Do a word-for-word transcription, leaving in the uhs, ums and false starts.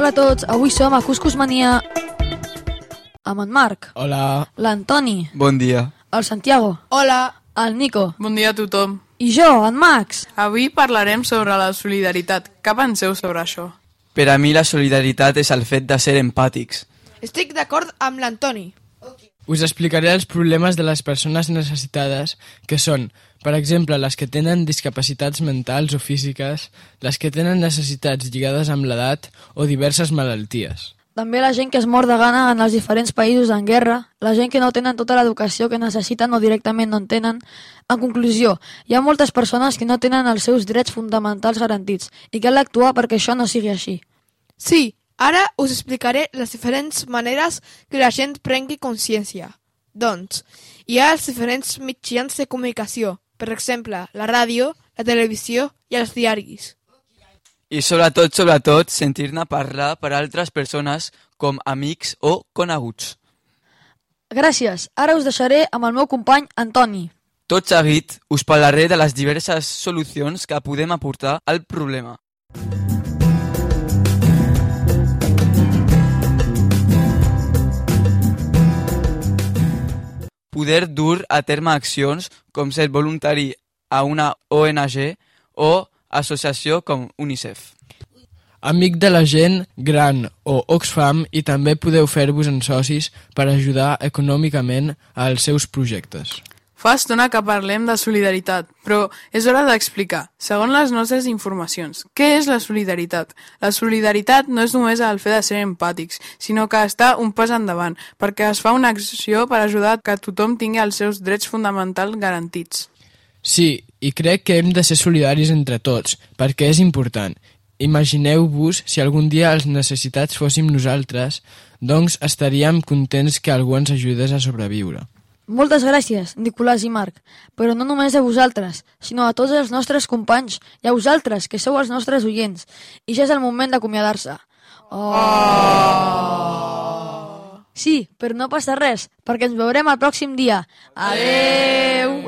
Hola a tots, avui som a Cuscus Mania amb en Marc. Hola. L'Antoni. Bon dia. El Santiago. Hola. El Nico. Bon dia a tothom. I jo, en Max. Avui parlarem sobre la solidaritat. Què penseu sobre això? Per a mi la solidaritat és el fet de ser empàtics. Estic d'acord amb l'Antoni. Us explicaré els problemes de les persones necessitades, que són, per exemple, les que tenen discapacitats mentals o físiques, les que tenen necessitats lligades amb l'edat o diverses malalties. També la gent que es mor de gana en els diferents països en guerra, la gent que no tenen tota l'educació que necessiten o directament no en tenen. En conclusió, hi ha moltes persones que no tenen els seus drets fonamentals garantits i cal actuar perquè això no sigui així. Sí, ara us explicaré les diferents maneres que la gent prengui consciència. Doncs, hi ha els diferents mitjans de comunicació, per exemple, la ràdio, la televisió i els diaris. I sobretot, sobretot, sentir-ne parlar per altres persones com amics o coneguts. Gràcies, ara us deixaré amb el meu company Antoni. Tot seguit, us parlaré de les diverses solucions que podem aportar al problema. Poder dur a terme accions com ser voluntari a una O N G o associació com UNICEF. Amic de la gent gran o Oxfam i també podeu fer-vos en socis per ajudar econòmicament als seus projectes. Fa estona que parlem de solidaritat, però és hora d'explicar, segons les nostres informacions, què és la solidaritat? La solidaritat no és només el fet de ser empàtics, sinó que està un pas endavant, perquè es fa una acció per ajudar que tothom tingui els seus drets fonamentals garantits. Sí, i crec que hem de ser solidaris entre tots, perquè és important. Imagineu-vos si algun dia els necessitats fóssim nosaltres, doncs estaríem contents que algú ens ajudés a sobreviure. Moltes gràcies, Nicolàs i Marc, però no només a vosaltres, sinó a tots els nostres companys i a vosaltres, que sou els nostres oients. I ja és el moment d'acomiadar-se. Oh! Sí, però no passa res, perquè ens veurem el pròxim dia. Adeu!